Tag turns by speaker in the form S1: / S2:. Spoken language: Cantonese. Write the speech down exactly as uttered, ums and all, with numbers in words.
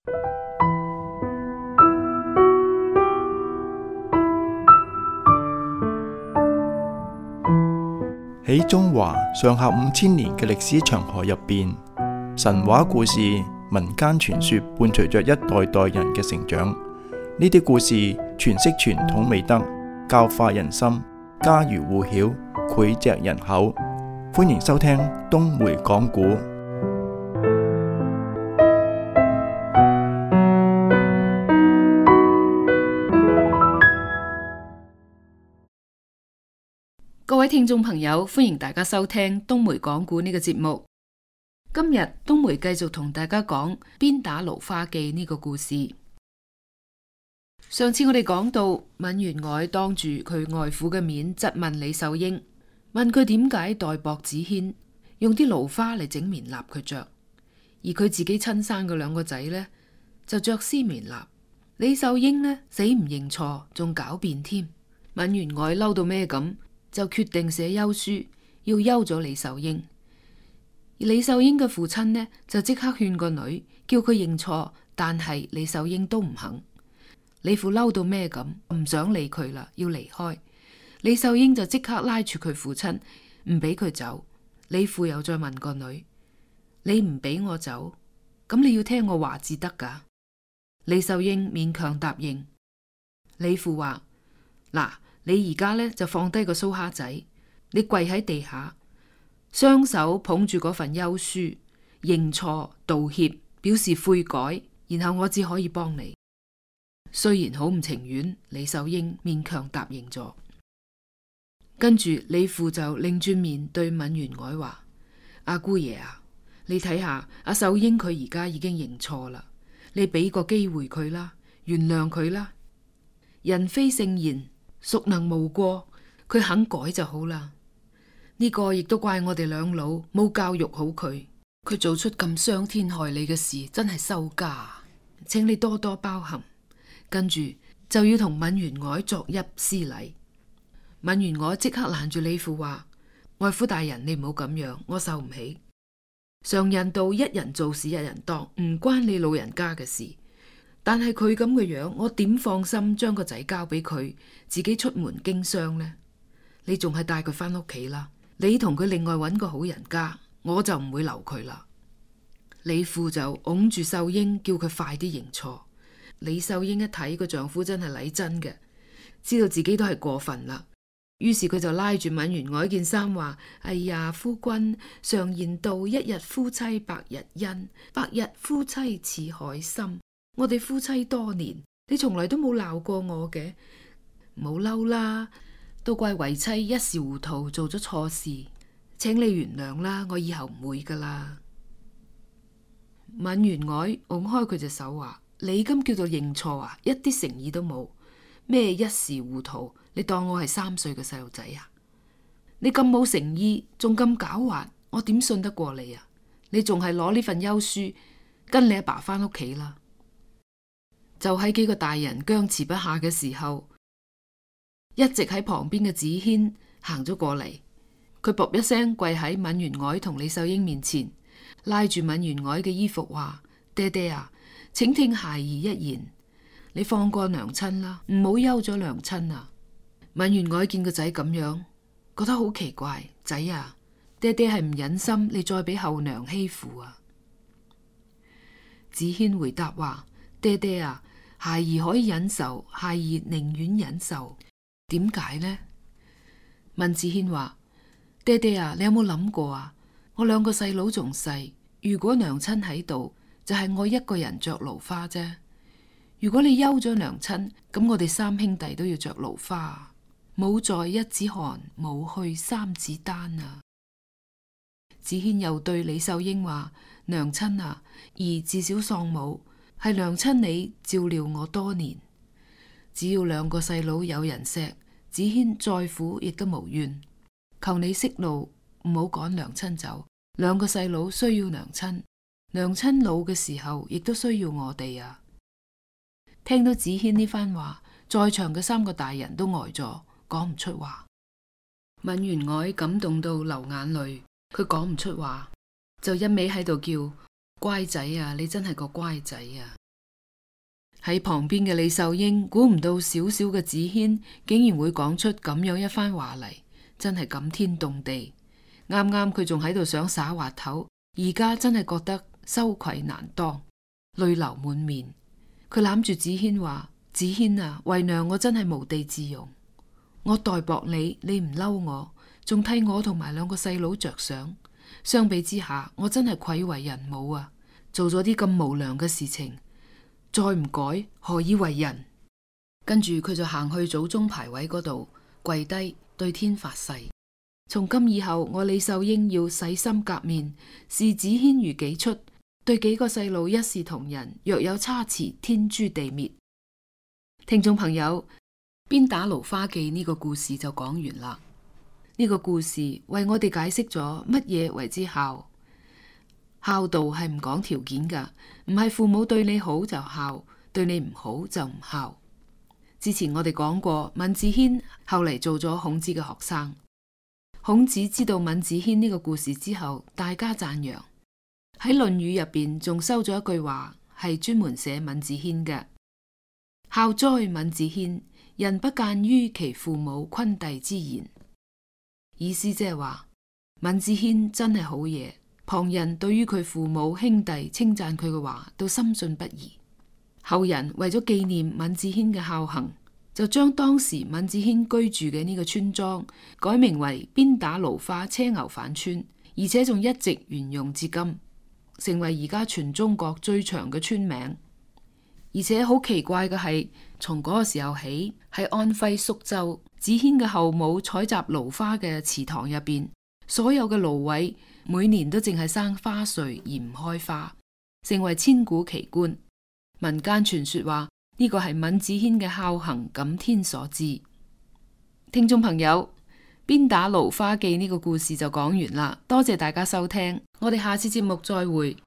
S1: 喺中華上下五千年嘅歷史長河入邊，神話故事、民間傳說伴隨着一代代人嘅成長。呢啲故事詮釋傳統美德，教化人心，家喻戶曉，膾炙人口。歡迎收聽東梅講古。
S2: 各位聽眾朋友，歡迎大家收聽東梅講古呢個節目。今日東梅繼續同大家講鞭打蘆花記呢個故事。上次我哋講到閔元凱當住佢外父嘅面質問李秀英，問佢點解代薄子軒用啲蘆花嚟整棉衲佢着，而佢自己親生嘅兩個仔呢，就着絲棉衲。李秀英呢，死唔認錯，仲狡辯添。閔元凱嬲到咩咁，就決定寫休書要休咗李秀英。而李秀英嘅父親呢，就即刻勸個女叫佢認錯，但係李秀英都唔肯。李父嬲到咩咁，唔想理佢啦，要離開。李秀英就即刻拉住佢父親，唔俾佢走。李父又再問個女：你唔俾我走，咁你要聽我話至得噶？李秀英勉強答應。李父話：嗱，你而家呢，就放低個蘇蝦仔，你跪喺地下，雙手捧住嗰份休書，認錯道歉，表示悔改，然後我只可以幫你。雖然好唔情願，李秀英勉強答應咗。跟住李父就擰轉面對閔元凱話：阿姑爺啊，你睇下阿秀英佢而家已經認錯啦，你俾個機會佢啦，原諒佢啦。人非聖賢，孰能無過？佢肯改就好啦。呢個亦都怪我哋兩老冇教育好佢，佢做出咁傷天害理嘅事，真係羞家，請你多多包涵。跟住就要同閔元凱作揖施禮。閔元凱即刻攔住李父話：外父大人，你唔好咁樣，我受唔起。常言道，一人做事一人當，唔關你老人家嘅事。但係佢咁嘅樣，我點放心將個仔交俾佢，自己出門經商呢？你仲係帶佢翻屋企啦，你同佢另外揾個好人家，我就唔會留佢啦。李父就擁住秀英，叫佢快啲認錯。李秀英一睇個丈夫真係禮真嘅，知道自己都係過分啦，於是佢就拉住閔元凱件衫話：哎呀，夫君，常言道，一日夫妻百日恩，百日夫妻似海深。我哋夫妻多年，你從來都冇鬧過我嘅，冇嬲啦，都怪為妻一時糊塗做咗錯事，請你原諒啦，我以後唔會噶啦。閔元凱拱開佢隻手話：你咁叫做認錯啊？一啲誠意都冇。咩一時糊塗？你當我係三歲嘅細路仔啊？你咁冇誠意，仲咁狡猾，我點信得過你啊？你仲係攞呢份休書跟你阿爸翻屋企啦。就喺幾個大人僵持不下嘅時候，一直喺旁邊嘅子軒行咗過嚟，佢噗一聲跪喺閔元凱同李秀英面前，拉住閔元凱嘅衣服話：爹爹啊，請聽孩兒一言，你放過娘親啦，唔好休咗娘親啊！閔元凱見個仔咁樣，覺得好奇怪。仔啊，爹爹係唔忍心你再俾後娘欺負啊！子軒回答話：爹爹啊，孩兒可以忍受，孩兒寧願忍受。點解呢？閔子軒話：爹爹啊，你有冇諗過啊？我兩個細佬仲細，如果娘親喺度，就係我一個人着蘆花啫。如果你休咗娘親，咁我哋三兄弟都要着蘆花。母在一子寒，母去三子丹啊！子軒又對李秀英話：娘親啊，兒自小喪母，係娘親你照料我多年。只要兩個細佬有人錫，子軒再苦亦都無怨。求你息怒，唔好趕娘親走。兩個細佬需要娘親，娘親老嘅時候亦都需要我哋啊！聽到子軒呢番話，在場嘅三個大人都呆咗，講唔出話。閔元凱感動到流眼淚，佢講唔出話，就一味喺度叫：乖仔啊，你真係個乖仔啊！喺旁邊嘅李秀英估唔到小小嘅子軒竟然會講出咁樣一番話嚟，真係感天動地。啱啱佢仲喺度想耍滑頭，而家真係覺得羞愧難當，淚流滿面。佢攬住子軒話：子軒啊，為娘我真係無地自容，我待薄你，你唔嬲我，仲替我同埋兩個細佬着想。相比之下，我真係愧為人母啊！做咗啲咁無良嘅事情，再唔改何以為人？跟住佢就行去祖宗牌位嗰度跪低對天發誓：從今以後，我李秀英要洗心革面，視子軒如己出，對幾個細路一視同仁，若有差池，天誅地滅。聽眾朋友，鞭打蘆花記呢個故事就講完啦。呢個故事為我哋解釋咗乜嘢為之孝。孝道係唔講條件噶，唔係父母對你好就孝，對你唔好就唔孝。之前我哋講過，閔子騫後嚟做咗孔子嘅學生。孔子知道閔子騫呢個故事之後，大加讚揚。喺《論語》入邊仲收咗一句話，係專門寫閔子騫嘅：孝哉閔子騫，人不諫於其父母昆弟之言。意思即係話，閔子騫真係好嘢，旁人對於佢父母兄弟稱讚佢嘅話都深信不疑。後人為咗紀念閔子騫嘅孝行，就將當時閔子騫居住嘅呢個村莊改名為鞭打蘆花車牛返村，而且仲一直沿用至今，成為而家全中國最長嘅村名。而且好奇怪嘅係，從嗰個時候起，喺安徽宿州子軒嘅後母採集蘆花嘅池塘入邊，所有嘅蘆葦每年都淨係生花穗而唔開花，成為千古奇觀。民間傳說話呢個係閔子騫嘅孝行感天所致。聽眾朋友，鞭打蘆花記呢個故事就講完啦，多謝大家收聽，我哋下次節目再會。